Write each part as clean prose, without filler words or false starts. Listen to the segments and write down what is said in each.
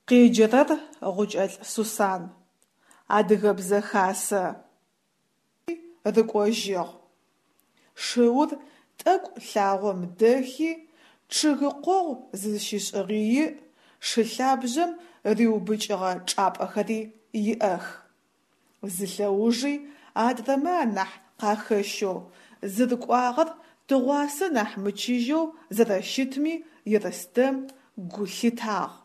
Къеджэрэр Гъукӏэлӏ Сусан. Адыгэбзэ хасэ. Рыкӏожьыгъ. Шыур тӏэкӏу лъагъом дэхи, чъыгы къогъу зызщишӏыгъи иӏ, шы лъабжъэм риубыкӏыгъэ чӏапӏэхэри иӏэх. Зы лъэужи адрэмэ анахь къахэщэу, зырыкӏуагъэр тыгъуасэ нахь мычыжьэу зэрэщытми Ерстэм гу лъитагъ.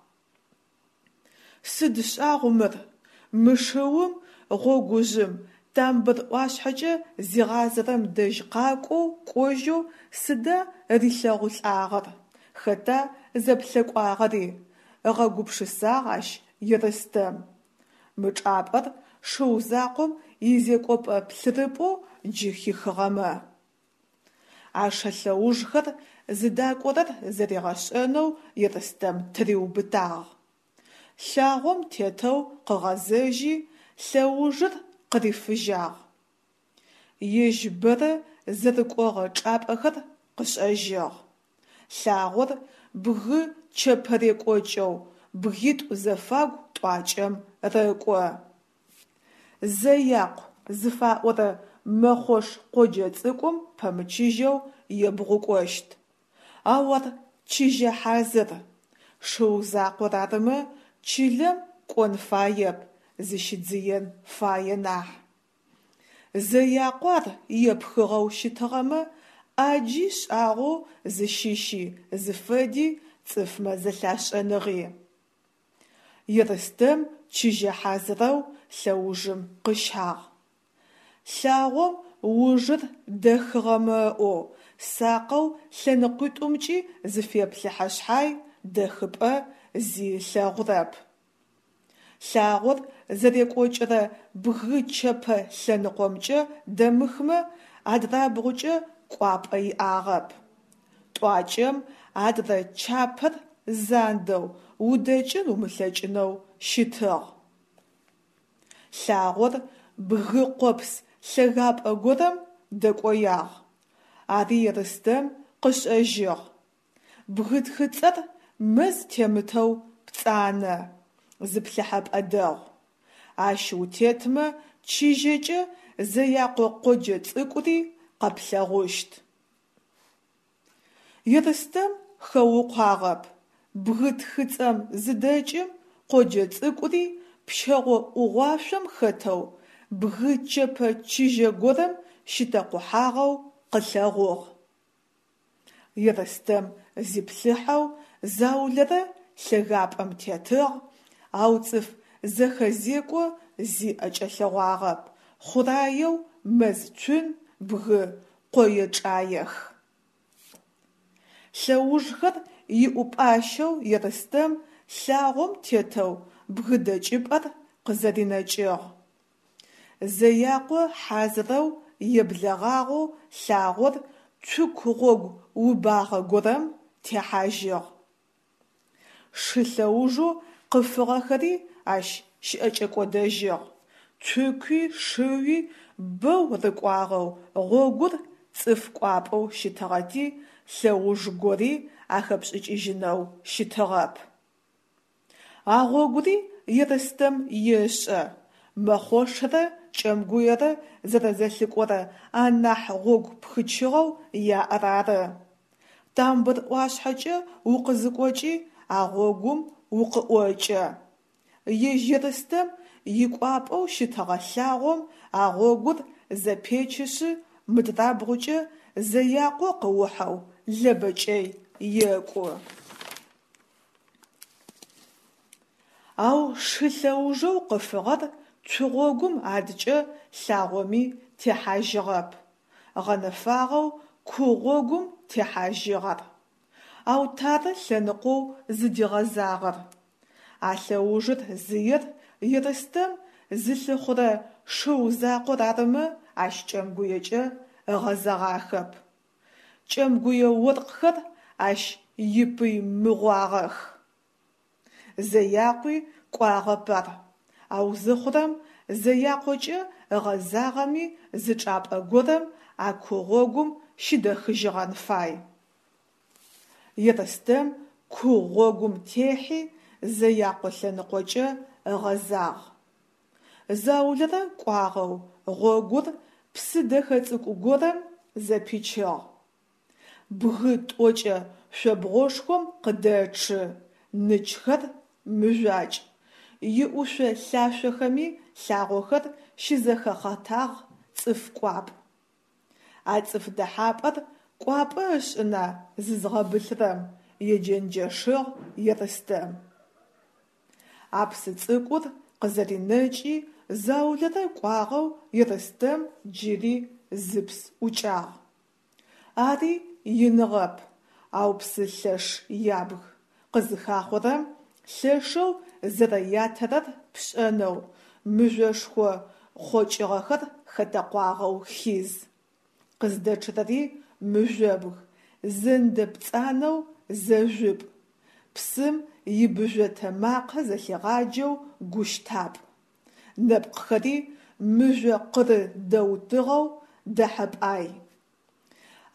Сыд шӏагъу мыр, мы шыум гъогужъым Тамбыр ӏуашъхьэкӏэ зигъазэрэм дэжь къакӏоу кӏожьэу сыда рилъэгъулӏагъэр, хэта зэплъэкӏуагъэри, ыгъэгупшысагъ ащ Ерстэм. Мы чӏапӏэр шыу закъом изекӏопӏэ плъырыпӏэу джы хихыгъэмэ. А шы лъэужхэр зыдакӏорэр зэригъэшӏэнэу Ерстэм тыриубытагъ. Лъагъом тетэу къыгъэзэжьи, лъэужыр къырифыжьагъ. Ежь бэрэ зэрыкӏогъэ чӏапӏэхэр къышӏэжьыгъ. Лъагъор бгы чэпэрекӏокӏэу бгитӏу зэфагу тӏуакӏэм рэкӏо. Зэякъу зыфаӏорэ Мэхъош къоджэ цӏыкӏум пэмычыжьэу ебгъукӏощт. Ау ар чыжьэ хьазыр. Шыу закъор арымэ, чылэм кӏон фаеп, зыщидзыен фае нахь. Зэякъо ар епхыгъэу щытыгъэмэ, ӏаджи шӏагъэу зыщыщи зыфэди цӏыфмэ зэлъашӏэныгъи. Ерстэм чыжьэ хьазырэу лъэужым къыщагъ. Лъагъом ужыр дэхыгъэмэ ыӏоу, сакъэу лъэныкъуитӏумкӏи зыфеплъыхьэ шъхьай, дэхыпӏэ зи ылъэгъурэп. Лъагъор зэрекӏокӏырэ бгы чэпэ лъэныкъомкӏэ дэмыхмэ, адрабгъукӏэ кӏуапӏэ иӏагъэп. Тӏуакӏэм адрэ чапэр зандэу, удэкӏын умылъэкӏынэу щытыгъ. Лъагъор бгы къопс лъэгапӏэ горэм дэкӏоягъ. Ари Ерстэм къышӏэжьыгъ. Бгы тхыцӏэр мэз темытэу пцӏанэ, зыплъыхьэпӏэ дэгъу. Ащ утетмэ чыжьэкӏэ Зэякъо къоджэ цӏыкӏури къэплъэгъущт. Ерстэм хэукъуагъэп, бгы тхыцӏэм зыдэкӏым къоджэ цӏыкӏури пщэгъо ӏугъуашъом хэтэу бгы чэпэ чыжьэ горэм щитэкъухьагъэу къылъэгъугъ. Ерстэм зиплъыхьэу заулэрэ лъэгапӏэм тетыгъ, ау цӏыф зэхэзекӏо зи ӏэкӏэлъэгъуагъэп, хъураеу мэз цун, бгы къое-чӏаех. Лъэужхэр иӏупӏащэу Ерстэм лъагъом тетэу бгы дэкӏыпӏэр къызэринэкӏыгъ. Зэякъо хьазырэу еблэгъагъэу лъагъор цуку гъогу убагъэ горэм техьажьыгъ. Шы лъэужэу къыфыгъэхэри ащ щыӏэкӏэкӏодэжьыгъ, цукуи шыуи бэу рыкӏуагъэу гъогур цӏыф кӏуапӏэу щытыгъэти, лъэуж гори ахэпшӏыкӏыжьынэу щытыгъэп. А гъогури Ерстэм ешӏэ, Мэхъошрэ Кӏэмгуерэ зэрэзэлъыкӏорэ анахь гъогу пхычыгъэу яӏэр ары. Тамбыр ӏуашъхьэкӏэ укъызыкӏокӏи а гъогум укъыӏокӏэ. Ежь Ерстэм икӏуапӏэу щытыгъэ лъагъом а гъогур зэпечышъы мыдрабгъукӏэ Зэякъо къыухьэу Лэбэ кӏэй екӏу. Ау шы лъэужэу къыфыгъэр цугъогум адкӏэ лъагъоми техьажьыгъэп. Гъэнэфагъэу ку гъогум техьажьыгъ ар. Ау тары лъэныкъоу зыдигъэзагъэр. А лъэужыр зыер Ерстэм зылъыхъурэ шыу закъор арымэ, ащ Кӏэмгуекӏэ ыгъэзэгъахэп. Кӏэмгуе оркъхэр ащ ипый мыгъуагъэх. Зэякъуи кӏуагъэп ар. Ау зыхъурэм, Зэякъокӏэ ыгъэзагъэми зы чӏапӏэ горэм а ку гъогум щыдэхыжьыгъэн фай. Ерстэм ку гъогум техьи, Зэякъо лъэныкъокӏэ ыгъэзагъ. Заулэрэ кӏуагъэу гъогур псы дэхэ цӏыкӏу горэм зэпичыгъ. Бгы тӏокӏэ шъобгъошхом къыдэчъы, ныджхэр мыжъуакӏ, иӏушъо-лъашъохэми лъагъохэр щызэхэхъытагъ, цӏыф кӏуапӏ. А цӏыф дэхьапӏэр кӏуапӏэ ышӏына зызгъэбылъырэм, еджэнджэшыгъ Ерстэм. А псы цӏыкӏур къызэринэкӏи, заулэрэ кӏуагъэу Ерстэм джыри зыпс ӏукӏагъ. Ари иныгъэп, ау псы лъэш ябг, къызыхахъорэм лъэшэу зэрэятэрэр пшӏэнэу, мыжъошхо хъокӏыгъэхэр хэтэкъуагъэу хиз. Къыздэчъырэри мыжъобг, зэндэ пцӏанэу зэжъупӏ, псым ибыжъотэ макъэ зэлъигъаджэу гущтапӏ. Нэпкъхэри мыжъо къыры дэутыгъэу дэхьэпӏай.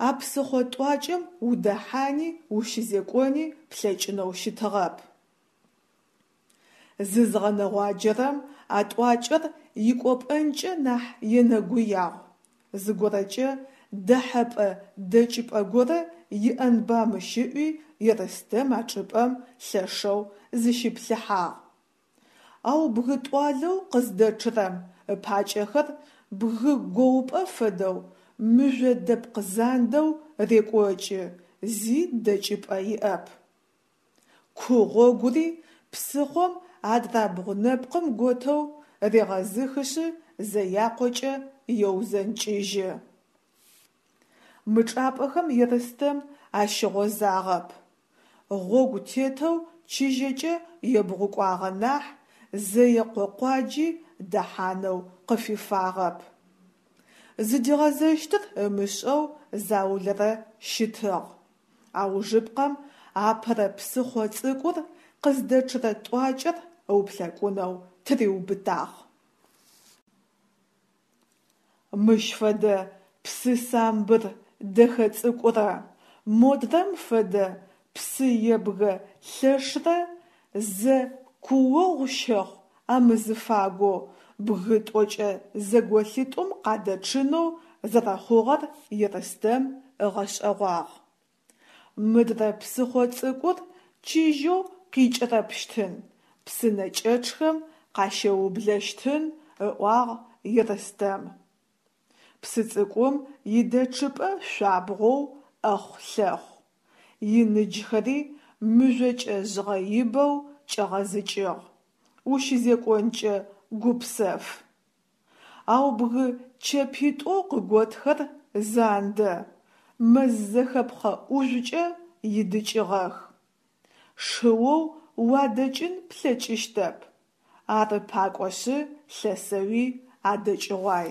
А псыхъо тӏуакӏэм удэхьани ущызекӏони плъэкӏынэу щытыгъэп. Зызгъэнэгъуаджэрэм а тӏуакӏэр икӏопӏэнкӏэ нахь енэгуягъу, зыгорэкӏэ дэхьэпӏэ-дэкӏыпӏэ горэ иӏэнба мыщ ыӏуи Ерстэм а чӏыпӏэм лъэшэу зыщиплъыхьагъ. Ау бгы тӏуалэу къыздэчъырэм ыпакӏэхэр бгы гоупӏэ фэдэу мыжъо дэпкъ зандэу рекӏокӏы, зи дэкӏыпӏэ иӏэп. Ку гъогури псыхъом адрабгъу нэпкъым готэу регъэзыхышъы Зэякъокӏэ еузэнкӏыжьы. Мы чӏапӏэхэм Ерстэм ащыгъозагъэп. Гъогу тетэу чыжьэкӏэ ебгъукӏуагъэ нахь, Зэекъо къуаджи дэхьанэу къыфифагъэп. Зыдигъэзэщтыр ымышӏэу заулэрэ щытыгъ. Аужыпкъэм апэрэ псыхъо цӏыкӏур къыздэчъырэ тӏуакӏэр ыуплъэкӏунэу тыриубытагъ. Мыщ фэдэ псы самбыр дэхэ цӏыкӏурэ модрэм фэдэ псы ебгэ лъэшрэ зэ куогъу щэхъу амызыфагоу бгы тӏокӏэ зэголъитӏум къадэчъынэу зэрэхъугъэр Ерстэм ыгъэшӏэгъуагъ. Мыдрэ псыхъо цӏыкӏур чыжьэу къикӏырэпщтын, псынэкӏэчъхэм къащэублэщтын, ыӏуагъ Ерстэм. Псы цӏыкӏум идэчъыпӏэ шъуабгъоу ӏэхъу-лъэхъу, иныджхэри мыжъокӏэ жъгъэибэу кӏэгъэзыкӏыгъ, ущызекӏонкӏэ гупсэф. Ау бгы чэпитӏоу къыготхэр зандэ, мэз зэхэпхъэ ӏужъукӏэ идыкӏыгъэх. Шыоу уадэкӏын плъэкӏыщтэп, ары пакӏошъы лъэсэуи адэкӏыгъуай.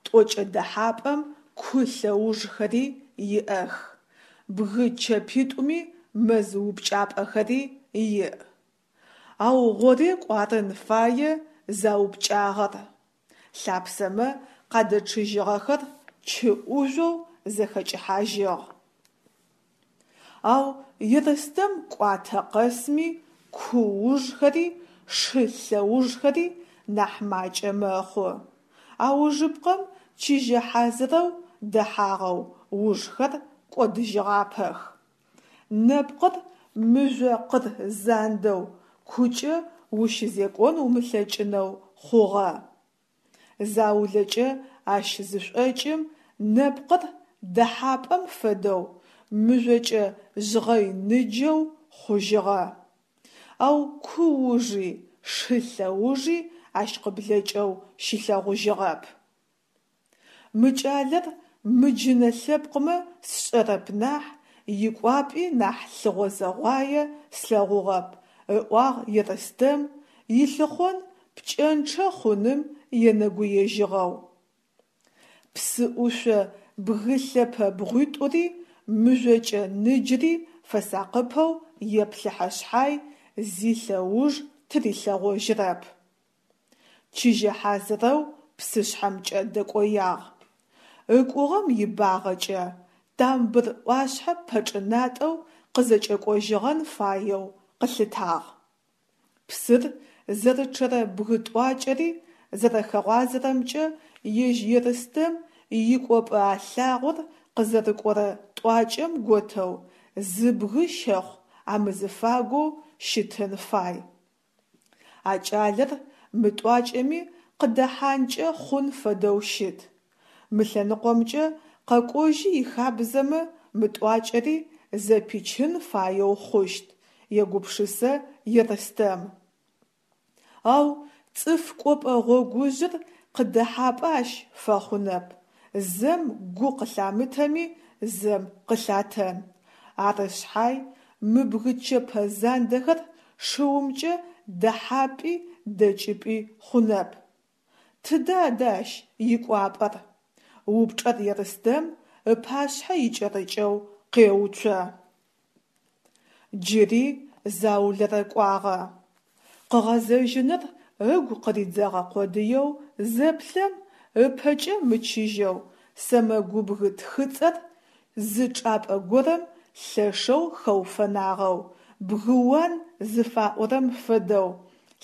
Тӏокӏэ дэхьапӏэм ку лъэужхэри иӏэх, бгы чэпитӏуми мэз упкӏапӏэхэри иӏ. Ау гъорекӏу арын фае заупкӏагъэр. Лъапсэмэ къадэчъыжьыгъэхэр чы ӏужъоу зэхэкӏыхьажьыгъ. Ау Ерстэм кӏуатэ къэсми ку ужхэри шы лъэужхэри нахь макӏэ мэхъу. Аужыпкъэм чыжьэ хьазырэу дэхьагъэу ужхэр кӏодыжьыгъапэх. Нэпкъыр мыжъо къыр зандэу кукӏэ ущызекӏон умылъэкӏынэу хъугъэ. Заулэкӏэ ащ зышӏокӏым нэпкъыр дэхьапӏэм фэдэу мыжъокӏэ жъгъэй ныджэу хъужьыгъэ. Ау ку ужи шы лъэужи ащ къыблэкӏэу щилъэгъужьыгъэп. Мы кӏалэр мыджынэ лъэпкъмэ сшӏэрэп нахь, икӏуапӏи нахь лъыгъозэгъуае слъэгъугъэп, ыӏуагъ Ерстэм, илъыхъон пкӏэнчъэ хъуным енэгуежьыгъэу. Псы ӏушъо бгы лъэпэ бгъуитӏури мыжъокӏэ ныджри фэсакъыпэу еплъыхьэ шъхьай, зи лъэуж тырилъэгъожьырэп. Чыжьэ хьазырэу псышъхьэмкӏэ дэкӏоягъ. Ыкӏугъэм ибагъэкӏэ Тамбыр ӏуашъхьэ пэчӏынатӏэу къызэкӏэкӏожьыгъэн фаеу къылъытагъ. Псыр зэрычъэрэ бгы тӏуакӏэри зэрэхэгъуазэрэмкӏэ ежь Ерстэм икӏопӏэ а лъагъор къызэрыкӏорэ тӏуакӏэм готэу зы бгы щэхъу амызыфагоу щытын фай. А кӏалэр мы тӏуакӏэми къыдэхьанкӏэ хъун фэдэу щыт. Мы лъэныкъомкӏэ къэкӏожьы ихабзэмэ мы тӏуакӏэри зэпичын фаеу хъущт, егупшысэ Ерстэм. Ау цӏыф кӏопӏэ гъогужъыр къыдэхьапӏэ ащ фэхъунэп, зэм гу къылъамытэми зэм къылъатэн. Ары шъхьай мы бгы чэпэ зандэхэр шыумкӏэ дэхьапӏи дэкӏыпӏи хъунэп. Тыдэ адэ ащ икӏуапӏэр? Упчӏэр Ерстэм ыпашъхьэ икӏэрыкӏэу къеуцо. Джыри заулэрэ кӏуагъэ. Къыгъэзэжьыныр ыгу къыридзэгъэ къодыеу зэплъэм, ыпэкӏэ мычыжьэу сэмэгубгы тхыцӏэр зы чӏапӏэ горэм лъэшэу хэуфэнагъэу, бгыуан зыфаӏорэм фэдэу,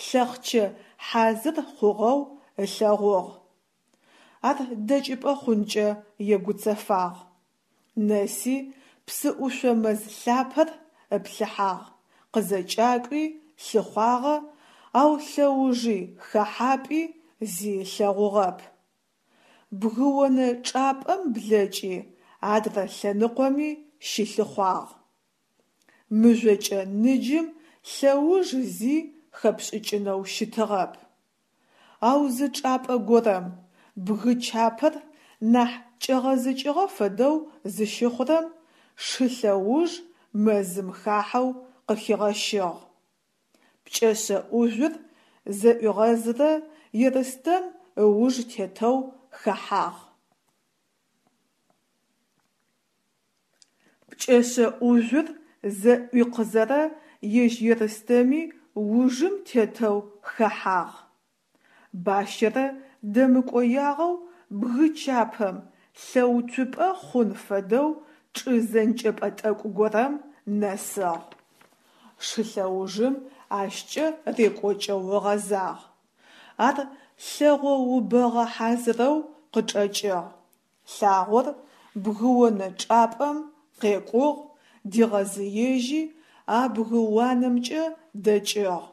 лъэхъчэ хьазыр хъугъэу ылъэгъугъ. Ар дэкӏыпӏэ хъункӏэ егуцэфагъ. Нэси псыӏушъо мэз лъапэр ыплъыхьагъ, къызэкӏакӏуи лъыхъуагъэ, ау лъэужи хэхьапӏи зи ылъэгъугъэп. Бгыонэ чӏапӏэм блэкӏи адрэ лъэныкъоми щылъыхъуагъ. Мыжъокӏэ ныджым лъэуж зи хэпшӏыкӏынэу щытыгъэп. Ау зы чӏапӏэ горэм, бгы чапэр нахь кӏэгъэзыкӏыгъэ фэдэу зыщыхъурэм, шы лъэуж мэзым хахьэу къыхигъэщыгъ. Пкӏэшъэ ӏужъур зэӏуигъэзрэ Ерстэм ыуж тетэу хэхьагъ. Пкӏэшъэ ӏужъур зэӏуикъызэрэ ежь Ерстэми ужым тетэу хэхьагъ. Бащэрэ дэмыкӏоягъэу бгы чапэм, лъэуцупӏэ хъун фэдэу чӏы зэнкӏэпӏэ тӏэкӏу горэм нэсыгъ. Шы лъэужым ащкӏэ рекӏокӏэу ыгъэзагъ. Ар лъэгъо убэгъэ хьазырэу къычӏэкӏыгъ. Лъагъор бгыонэ чӏапӏэм къекӏугъ, дигъэзыежьи, а бгы уанэмкӏэ дэкӏыгъ.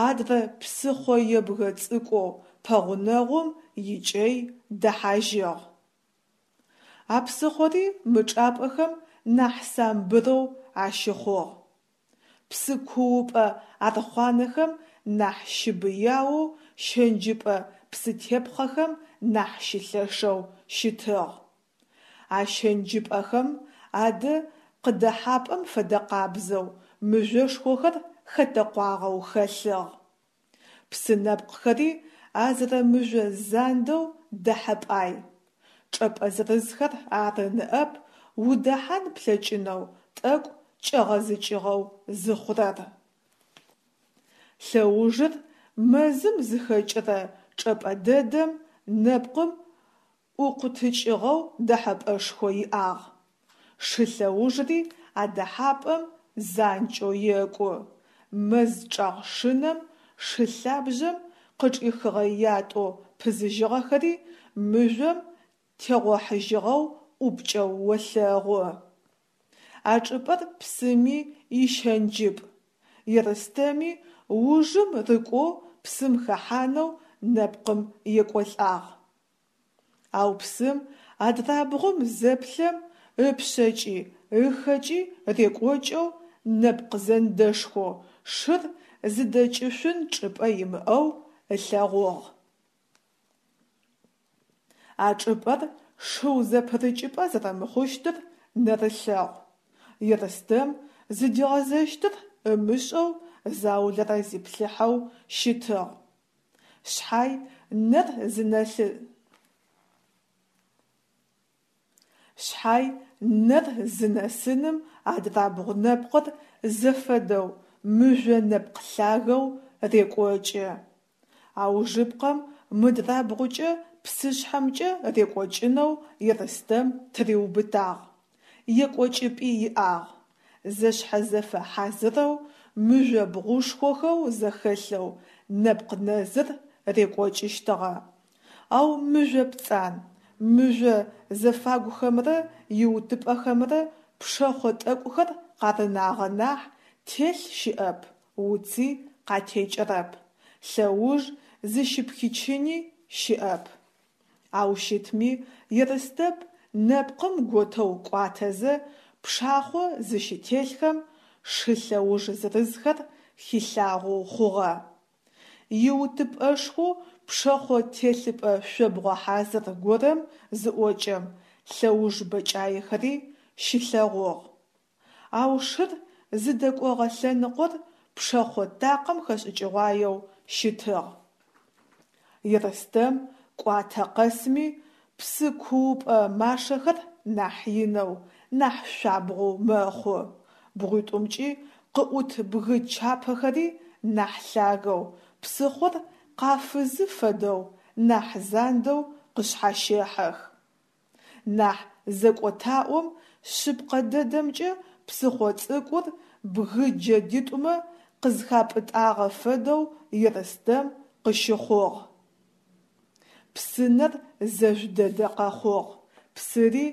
Адрэ псыхъо ебгэ цӏыкӏоу пэгъунэгъум икӏэй дэхьажьыгъ. А псыхъори мы чӏапӏэхэм нахь самбырэу ащыхъугъ. Псы куупӏэ архъуанэхэм нахь щыбыяоу, щэнджыпӏэ псытепхъэхэм нахь щылъэшэу щытыгъ. А щэнджыпӏэхэм адэ къыдэхьапӏэм фэдэкъабзэу мыжъошхохэр хэтэкъуагъэу хэлъыгъ. Псы нэпкъхэри а зэрэмыжъо зандэу дэхьэпӏай. Чӏэпӏэ зырызхэр ары ныӏэп удэхьан плъэкӏынэу тӏэкӏу кӏэгъэзыкӏыгъэу зыхъурэр. Лъэужыр мэзым зыхэкӏырэ чӏэпӏэ дэдэм нэпкъым ӏукъутыкӏыгъэу дэхьэпӏэшхо иӏагъ. Шы лъэужри а дэхьапӏэм занкӏэу екӏу. Мэз чӏэгъ шынэм шы лъабжъэм къычӏихыгъэ ятӏэу пызыжьыгъэхэри мыжъом тегъохьыжьыгъэу ӏупкӏэу олъэгъу. А чӏыпӏэр псыми ищэнджыпӏ. Ерстэми ужым рыкӏоу псым хэхьанэу нэпкъым екӏолӏагъ. Ау псым адрабгъум зэплъэм ыпшъэкӏи ыхэкӏи рекӏокӏэу нэпкъ зэндэшхо шыр зыдэкӏышъун чӏыпӏэ имыӏэу ылъэгъугъ. А чӏыпӏэр шыу зэпырыкӏыпӏэ зэрэмыхъущтыр нэрылъэгъу. Ерстэм зыдигъэзэщтыр ымышӏэу заулэрэ зиплъыхьэу щытыгъ. Шъхьай нэр зынэлъы Шъхьай нэр зынэсыным адрабгъу нэпкъыр зэфэдэу мыжъо нэпкъ лъагэу рекӏокӏы. Аужыпкъэм мыдрабгъукӏэ псышъхьэмкӏэ рекӏокӏынэу Ерстэм тыриубытагъ. Екӏокӏыпӏи иӏагъ. Зэшъхьэзэфэ хьазырэу мыжъобгъушхохэу зэхэлъэу нэпкъ нэзыр рекӏокӏыщтыгъэ. Ау мыжъо пцӏан, мыжъо зэфагухэмрэ иутыпӏэхэмрэ пшэхъо тӏэкӏухэр къарынагъэ нахь, телъ щыӏэп, уци къатекӏэрэп, лъэуж зыщыпхичыни щыӏэп. Ау щытми, Ерыстэп нэпкъым готэу кӏуатэзэ, пшахъо зыщытелъхэм шы лъэуж зырызхэр хилъагъоу хъугъэ. Иутыпӏэшхоу пшэхъо телъыпӏэ шъобгъо хьазыр горэм зыӏокӏэм, лъэуж бэкӏаехэри щилъэгъугъ. Ау шыр зыдэкӏогъэ лъэныкъор пшэхъо такъым хэшӏыкӏыгъуаеу щытыгъ. Ерстэм кӏуатэ къэсми псы куупӏэ машэхэр нахь инэу, нахь шъуабгъоу мэхъу, бгъуитӏумкӏи къыӏут бгы чапэхэри нахь лъагэу, псыхъор къафызы фэдэу нахь зандэу къышъхьащехьэх. Нахь зэкӏотаӏом, шъыпкъэ дэдэмкӏэ псыхъо цӏыкӏур бгы джэдитӏумэ къызхапӏытӏагъэ фэдэу Ерстэм къыщыхъугъ. Псынэр зэжъу дэдэ къэхъугъ, псыри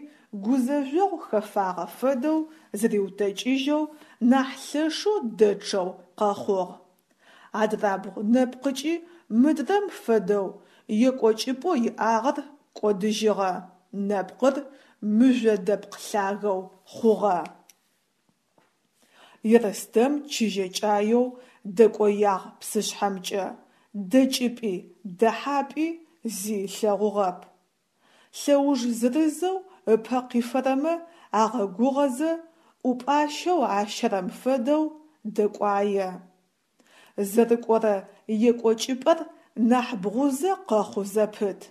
гузэжъогъу хэфагъэ фэдэу зыриутэкӏыжьэу, нахь лъэшэу дэчъэу къэхъугъ. Адрабгъу нэпкъыкӏи мыдрэм фэдэу екӏокӏыпӏэу иӏагъэр кӏодыжьыгъэ, нэпкъыр мыжъо дэпкъ лъагэу хъугъэ. Ерстэм чыжьэкӏаеу дэкӏоягъ псышъхьэмкӏэ, дэкӏыпӏи, дэхьапӏи зи ылъэгъугъэп. Лъэуж зырызэу ыпэ къифэрэмэ агъэгугъэзэ, ӏупӏащэу ащэрэм фэдэу дэкӏуае. Зэрыкӏорэ екӏокӏыпӏэр нахь бгъузэ къэхъу зэпыт.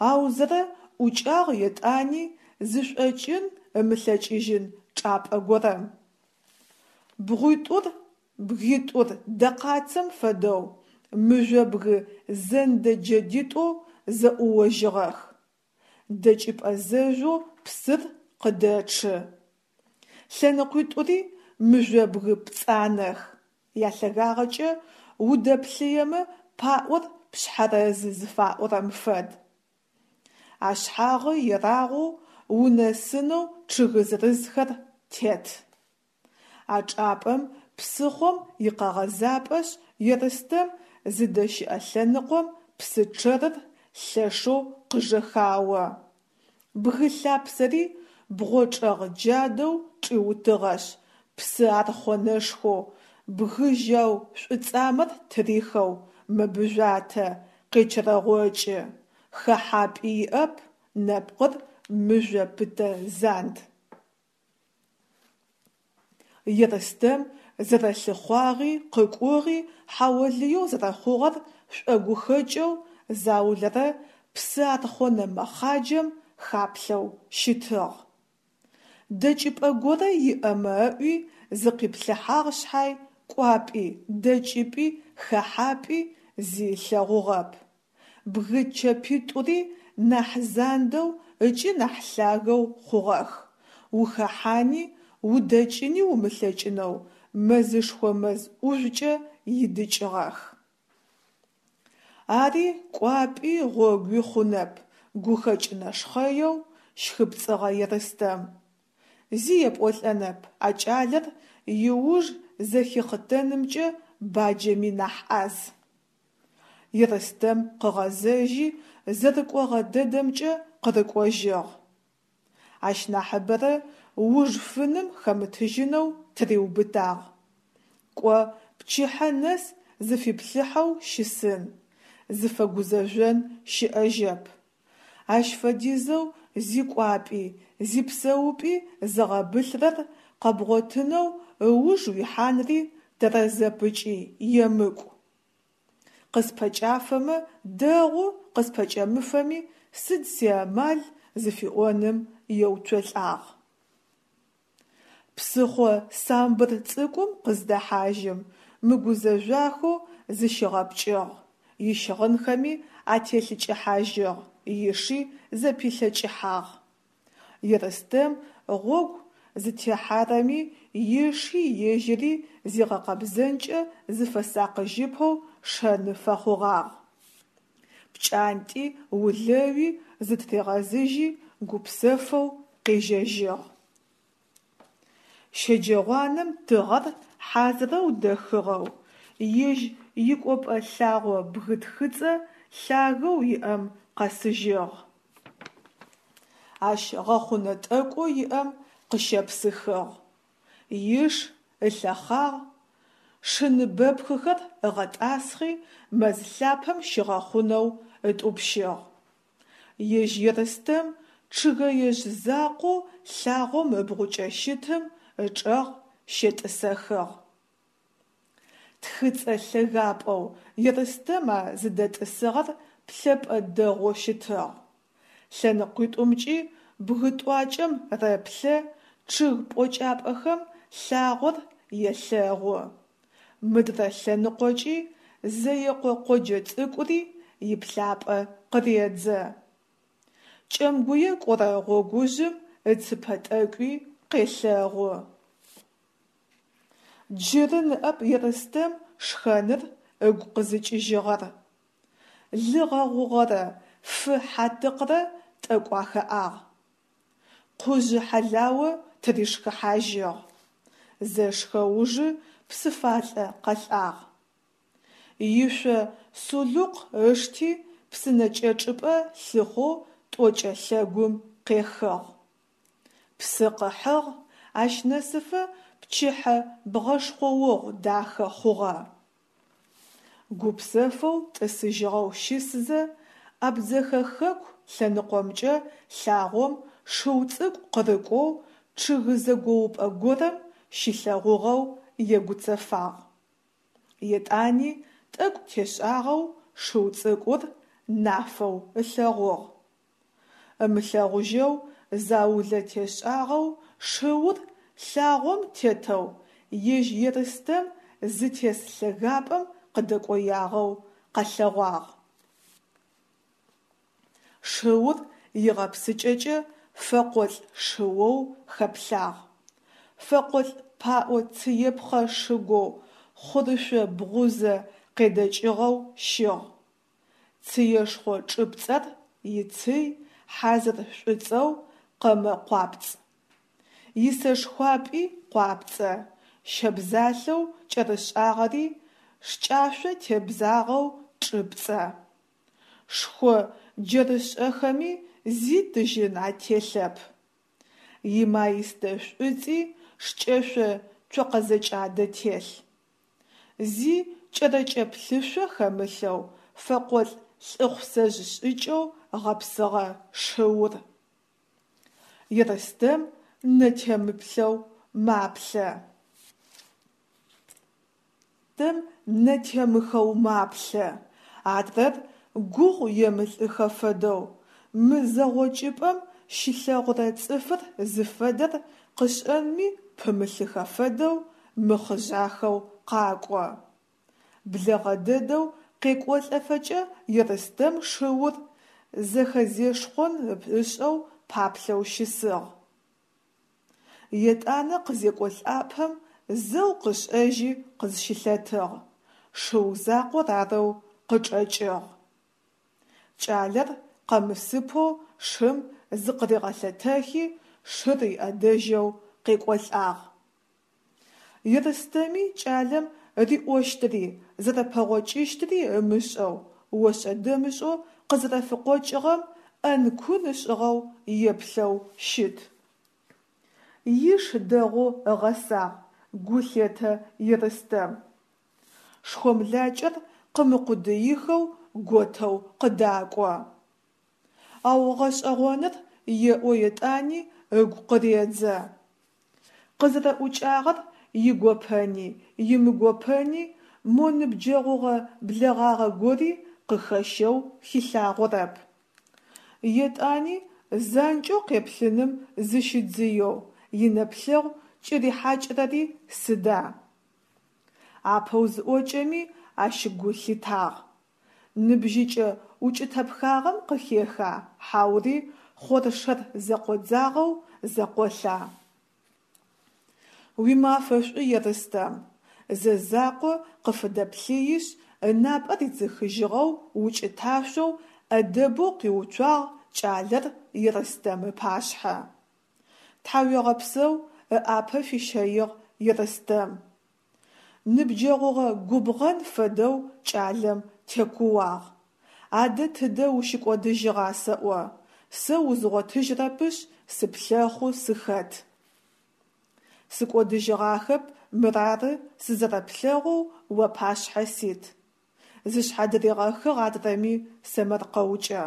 Аузэрэ ӏукӏагъ етӏани зышӏокӏын ымылъэкӏыжьын чӏапӏэ горэм. Бгъуитӏур, бгитӏур дэкъацэм фэдэу мыжъобгы зэндэ джэдитӏоу зэӏуожьыгъэх. Дэкӏыпӏэ зэжъоу псыр къыдэчъы. Лъэныкъуитӏури мыжъобгы пцӏанэх, ялъэгагъэкӏэ удэплъыемэ паӏор пшъхьэрэзы зыфаӏорэм фэд. Ашъхьагъы ерагъоу унэсынэу чъыгы зырызхэр тет. А чӏапӏэм псыхъом икъэгъэзапӏэшъ Ерстэм зыдэщыӏэ лъэныкъом псы чъэрыр лъэшэу къыжэхао. Бгы лъапсэри бгъочӏэгъ джадэу чӏиутыгъэшъ, псы архъонэшхоу, бгы жьау шӏуцӏамэр тырихэу мэбыжъуатэ, къечэрэгъокӏы, хэхьапӏи иӏэп, нэпкъыр мыжъо пытэ занд. Ерстэм зэрэлъыхъуагъи къыкӏугъи хьаолыеу зэрэхъугъэр шӏогухэкӏэу заулэрэ псы архъонэ мэхъаджэм хаплъэу щытыгъ. Дэкӏыпӏэ горэ иӏэмэ ыӏуи зыкъиплъыхьагъ шъхьай, кӏуапӏи, дэкӏыпӏи, хэхьапӏи зи ылъэгъугъэп. Бгы чэпитӏури нахь зандэу ыкӏи нахь лъагэу хъугъэх, ухэхьани удэкӏыни умылъэкӏынэу мэзышхо мэз ӏужъукӏэ идыкӏыгъэх. Ари кӏуапӏи гъогуи хъунэп, гухэкӏ нэшхъэеу щхыпцӏыгъэ Ерстэм. Зи епӏолӏэнэп, а кӏалэр иуж зэхихъытэнымкӏэ баджэми нахь ӏаз. Ерстэм къыгъэзэжьи, зэрыкӏогъэ дэдэмкӏэ къырыкӏожьыгъ. Ащ нахьыбэрэ уж фыным хэмытыжьынэу тыриубытагъ. Кӏо, пчыхьэ нэс зыфиплъыхьэу щысын, зыфэгузэжъон щыӏэжьэп. Ащ фэдизэу зикӏуапӏи, зипсэупӏи зыгъэбылърэр къэбгъотынэу ыуж уихьанри тэрэзэп ыкӏи емыкӏу. Къыспэкӏафэмэ дэгъу, къыспэкӏэмыфэми сыд сиамал зыфиӏоным еуцолӏагъ. Псыхъо самбыр цӏыкӏум къыздэхьажьым, мыгузэжъуахэу зыщигъэпкӏыгъ, ищыгъынхэми ателъыкӏыхьажьыгъ, иши зэпилъэкӏыхьагъ. Ерстэм гъогу зытехьарэми иши ежьыри зигъэкъэбзэнкӏэ зыфэсакъыжьыпэу шэны фэхъугъагъ. Пкӏантӏи улэуи зытыригъэзыжьи гупсэфэу къежьэжьыгъ. Щэджэгъуанэм тыгъэр хьазырэу дэхыгъэу, ежь икӏопӏэ лъагъо бгы тхыцӏэ лъагэу иӏэм къэсыжьыгъ. Ащ гъэхъунэ тӏэкӏоу иӏэм къыщепсыхыгъ, иш ылъэхъагъ, шыныбэпхыхэр ыгъэтӏасхъи мэз лъапэм щигъэхъунэу ытӏупщыгъ. Ежь Ерстэм чъыгэежъ закъоу лъагъом ыбгъукӏэ щытым ычӏэгъ щетӏысэхыгъ. Тхыцӏэ лъэгапӏэу Ерстэм а зыдэтӏысыгъэр плъэпӏэ дэгъоу щытыгъ. Лъэныкъуитӏумкӏи бгы тӏуакӏэм рэплъэ, чъыг пӏокӏапӏэхэм лъагъор елъэгъу. Мыдрэ лъэныкъокӏи Зэекъо къоджэ цӏыкӏури иплъапӏэ къыредзэ. Кӏэмгуе кӏорэ гъогужъым ыцыпэ тӏэкӏуи къелъэгъу. Джыры ныӏэп Ерстэм шхэныр ыгу къызыкӏыжьыгъэр. Лы гъэгъугъэрэ фы хьатыкърэ тӏэкӏу ахэӏагъ. Къужъы хьалао тыришхыхьажьыгъ. Зэшхэ ужы псыфалӏэ къэлӏагъ. Ишъо сулыкъу ышти псынэкӏэчъыпӏэ лъыхъоу тӏокӏэ лъэгум къехыгъ. Псы къыхьыгъ, ащ нэсыфэ пчыхьэ бгъэшхъоогъу дахэ хъугъэ. Гупсэфэу тӏысыжьыгъэу щысзэ, Абдзэхэ хэку лъэныкъомкӏэ лъагъом шыу цӏыкӏу къырыкӏоу чъыг зэгоупӏэ горэм щилъэгъугъэу егуцэфагъ. Етӏани тӏэкӏу тешӏагъэу шыу цӏыкӏур нафэу ылъэгъугъ. Ымылъэгъужьэу заулэ тешӏагъэу шыур лъагъом тетэу ежь Ерстэм зытес лъэгапӏэм къыдэкӏоягъэу къэлъэгъуагъ. Шыур игъэпсыкӏэкӏэ фэкъолӏ шыоу хэплъагъ. Фэкъолӏ паӏо цыепхъэ шыгоу хъурышъо бгъузэ къедэкӏыгъэу щыгъ. Цыешхъо чӏыпцӏэр ицый хьазыр шӏуцӏэу къэмэ къуапцӏ. Исэшхуапӏи къуапцӏэ, щэбзалъэу кӏэрышӏагъэри шкӏашъо тебзагъэу чӏыпцӏэ. Шхъо джэрышӏэхэми зи тыжьын ателъэп. Имаистэ шӏуцӏи шкӏэшъо цокъэзэкӏадэ телъ. Зи кӏэрэкӏэ плъышъо хэмылъэу фэкъолӏ лӏыхъусэжъ шӏыкӏэу гъэпсыгъэ шыур. Ерстэм нэтемыплъэу маплъэ. Тэм нэтемыхэу маплъэ, адрэр гугъу емылӏыхэ фэдэу, мы зэгъокӏыпӏэм щилъэгъурэ цӏыфыр зыфэдэр къышӏэнми пымылъыхэ фэдэу мыхъыжъахэу къакӏо. Блэгъэ дэдэу къекӏолӏэфэкӏэ Ерстэм шыур зэхэзешхъон ышӏэу паплъэу щысыгъ. Етӏанэ къызекӏолӏапэм зэу къышӏэжьи къызщылъэтыгъ, шыу закъор арэу къычӏэкӏыгъ. Кӏалэр къэмысыпэу шым зыкъыригъэлъэтэхи шыр иӏэдэжьэу къекӏолӏагъ. Ерстэми кӏалэм риӏощтыри зэрэпэгъокӏыщтыри ымышӏэу ошӏэ-дэмышӏэу къызэрэфыкъокӏыгъэм ӏэн-кун ышӏыгъэу еплъэу щыт. Иш дэгъоу ыгъэсагъ, гу лъетэ Ерстэм. Шхомлакӏэр къымыкъудыихэу готэу къыдакӏо. Ау гъэшӏэгъоныр еӏо етӏани ыгу къыредзэ. Къызэрэӏукӏагъэр игопэни имыгопэни мо ныбджэгъугъэ блэгъагъэ гори къыхэщэу хилъагъорэп. Етӏани занкӏэу къеплъыным зыщидзыеу инэплъэгъу кӏырихьакӏырэри сыда? Апэу зыӏокӏэми ащ гу лъитагъ. Ныбжьыкӏэ укӏытэпхагъэм къыхеха, хьаури хъоршэр зэкъодзагъэу зэкъолъа? Уимафэ шӏу, Ерстэм! Зэ закъо къыфыдэплъыишъ, ынапӏэ ридзыхыжьыгъэу укӏыташъоу, ӏэдэбэу къиуцуагъ кӏалэр Ерстэм ыпашъхьэ. Тхьауегъэпсэу, ыӏапэ фищэигъ Ерстэм. Ныбджэгъугъэ губгъэн фэдэу кӏалэм текууагъ. Адэ тыдэ ущыкӏодыжьыгъа сэӏо, сэ узгъотыжьрэпышъ сыплъэхъу сыхэт. Сыкӏодыжьыгъахэп, мырары сызэрэплъэгъоу уапашъхьэ сит! Зышъхьадыригъэхыгъ адрэми сэмэркъэукӏэ.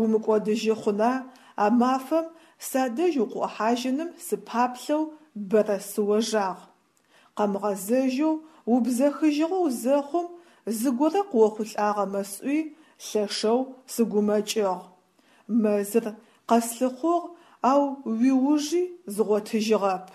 Умыкӏодыжьы хъуна, а мафэм садэжь укъыӏухьажьыным сыпаплъэу бэрэ сыожагъ. Къэмыгъэзэжьэу убзэхыжьыгъэу зэхъум, зыгорэ къыохъулӏагъэмэ сӏуи, лъэшэу сыгумэкӏыгъ. Мэзыр къэслъыхъугъ, ау уиужи згъотыжьыгъэп.